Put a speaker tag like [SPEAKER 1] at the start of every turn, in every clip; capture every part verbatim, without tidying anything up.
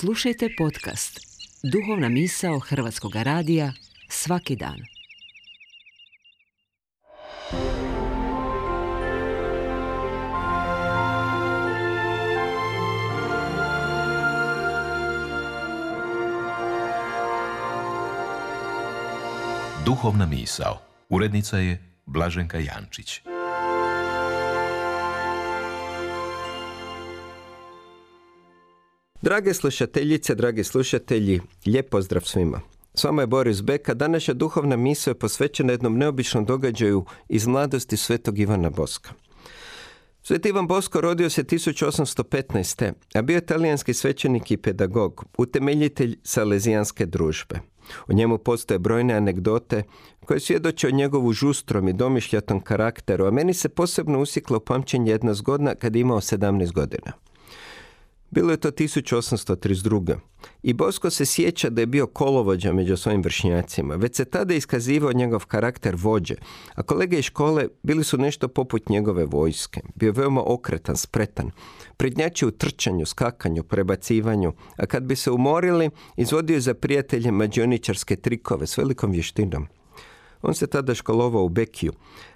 [SPEAKER 1] Slušajte podcast Duhovna misao Hrvatskog radija svaki dan.
[SPEAKER 2] Duhovna misao. Urednica je Blaženka Jančić.
[SPEAKER 3] Drage slušateljice, dragi slušatelji, lijep pozdrav svima. S vama je Boris Beka. Današnja duhovna misao je posvećena jednom neobičnom događaju iz mladosti svetog Ivana Boska. Sveti Ivan Bosko rodio se tisuću osamsto petnaeste. a bio je talijanski svećenik i pedagog, utemeljitelj Salezijanske družbe. O njemu postoje brojne anegdote koje svjedoče o njegovu žustrom i domišljatom karakteru, a meni se posebno usjekla u pamćenje jedna zgodna kad je imao sedamnaest godina. Bilo je to tisuću osamsto trideset druge. I Bosko se sjeća da je bio kolovođa među svojim vršnjacima. Već se tada iskazivao njegov karakter vođe, a kolege iz škole bili su nešto poput njegove vojske. Bio je veoma okretan, spretan, prednjačio u trčanju, skakanju, prebacivanju, a kad bi se umorili, izvodio za prijatelje mađioničarske trikove s velikom vještinom. On se tada školovao u Bekiju,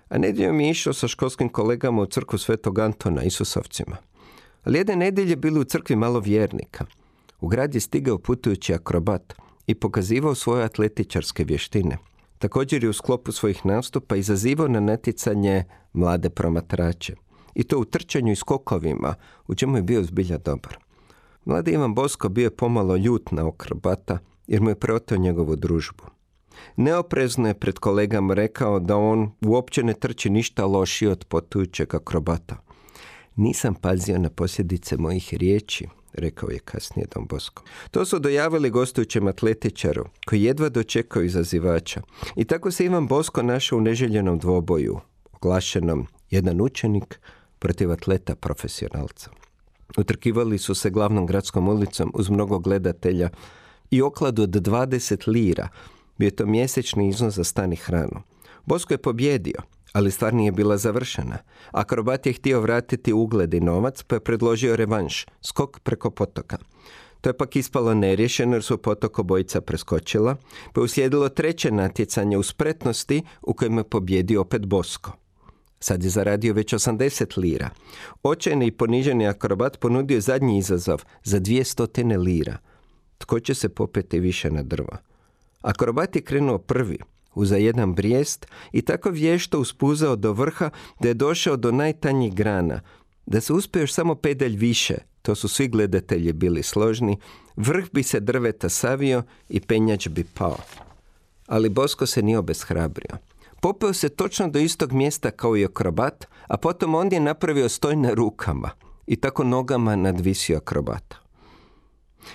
[SPEAKER 3] a nedjeljom je išao sa školskim kolegama u crkvu Svetog Antona, Isusovcima. Ali jedne nedjelje bilo u crkvi malo vjernika. U grad je stigao putujući akrobat i pokazivao svoje atletičarske vještine. Također je u sklopu svojih nastupa izazivao na natjecanje mlade promatrače. I to u trčanju i skokovima, u čemu je bio zbilja dobar. Mladi Ivan Bosko bio je pomalo ljut na akrobata jer mu je preoteo njegovu družbu. Neoprezno je pred kolegama rekao da on uopće ne trči ništa lošije od putujućeg akrobata. Nisam pazio na posljedice mojih riječi, rekao je kasnije Don Bosko. To su dojavili gostujućem atletičaru, koji jedva dočekao izazivača. I tako se Ivan Bosko našao u neželjenom dvoboju, oglašenom jedan učenik protiv atleta profesionalca. Utrkivali su se glavnom gradskom ulicom uz mnogo gledatelja i okladu od dvadeset lira, bio je to mjesečni iznos za stan i hranu. Bosko je pobjedio, ali stvar nije bila završena. Akrobat je htio vratiti ugled i novac, pa je predložio revanš, skok preko potoka. To je pak ispalo neriješeno jer su potok obojica preskočila, pa je uslijedilo treće natjecanje u spretnosti u kojem je pobjedio opet Bosko. Sad je zaradio već osamdeset lira. Očajni i poniženi akrobat ponudio zadnji izazov za dvjesto lira. Tko će se popeti više na drvo? Akrobat je krenuo prvi, uza jedan brijest i tako vješto uspuzao do vrha da je došao do najtanjih grana. Da se uspio još samo pedalj više, to su svi gledatelji bili složni, vrh bi se drveta savio i penjač bi pao. Ali Bosko se nije obeshrabrio. Popeo se točno do istog mjesta kao i akrobat, a potom on je napravio stoj na rukama i tako nogama nadvisio akrobata.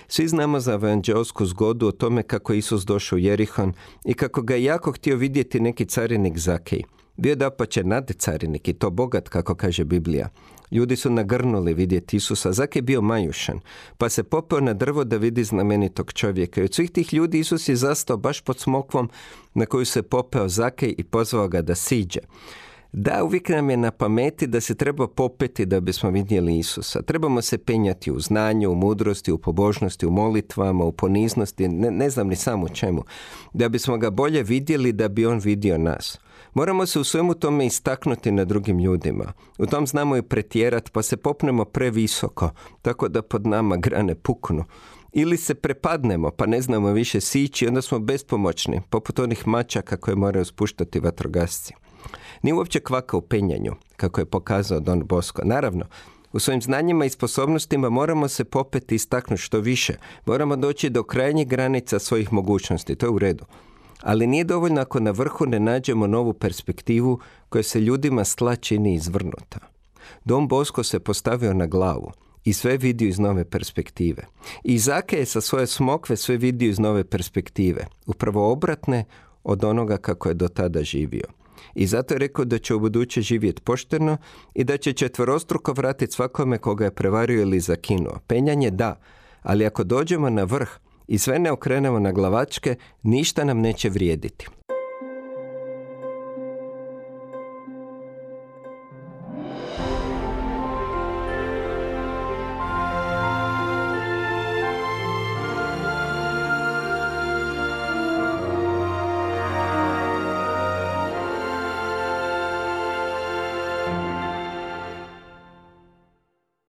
[SPEAKER 3] Svi znamo za evanđeosku zgodu o tome kako je Isus došao u Jerihon i kako ga je jako htio vidjeti neki carinik Zakej. Bio dapače nadcarinik i to bogat, kako kaže Biblija. Ljudi su nagrnuli vidjeti Isusa. Zakej je bio majušan, pa se popeo na drvo da vidi znamenitog čovjeka. I od svih tih ljudi Isus je zastao baš pod smokvom na koju se popeo Zakej i pozvao ga da siđe. Da, uvijek nam je na pameti da se treba popeti da bismo vidjeli Isusa. Trebamo se penjati u znanju, u mudrosti, u pobožnosti, u molitvama, u poniznosti, ne, ne znam ni sam u čemu. Da bismo ga bolje vidjeli, da bi on vidio nas. Moramo se u svemu tome istaknuti na drugim ljudima. U tom znamo i pretjerat, pa se popnemo previsoko, tako da pod nama grane puknu. Ili se prepadnemo, pa ne znamo više sići, onda smo bespomoćni, poput onih mačaka koje moraju spuštati vatrogasci. Nije uopće kvaka u penjanju, kako je pokazao Don Bosko. Naravno, u svojim znanjima i sposobnostima moramo se popeti i istaknuti što više. Moramo doći do krajnjih granica svojih mogućnosti, to je u redu. Ali nije dovoljno ako na vrhu ne nađemo novu perspektivu koja se ljudima s tla čini izvrnuta. Don Bosko se postavio na glavu i sve vidio iz nove perspektive. I Zakej je sa svoje smokve sve vidio iz nove perspektive, upravo obratne od onoga kako je do tada živio. I zato je rekao da će u buduće živjeti pošteno i da će četverostruko vratiti svakome koga je prevario ili zakinuo. Penjanje da, ali ako dođemo na vrh i sve ne okrenemo na glavačke, ništa nam neće vrijediti.